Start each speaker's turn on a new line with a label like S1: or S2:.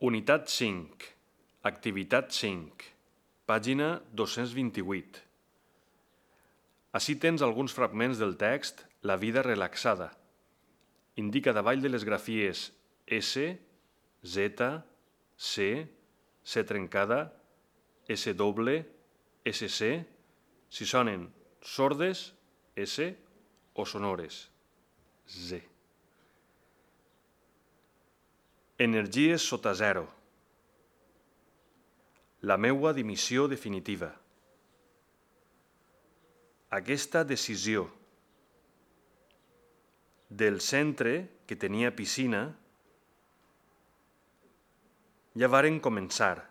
S1: Unitat 5, activitat 5, pàgina 228. Ací tens alguns fragments del text La vida relaxada. Indica davall de les grafies S, Z, C, C trencada, S doble, SC, si sonen sordes, S, o sonores, Z. Energies sota zero. La meua dimissió definitiva. Aquesta decisió. Del centre, que tenia piscina, ja varen començar.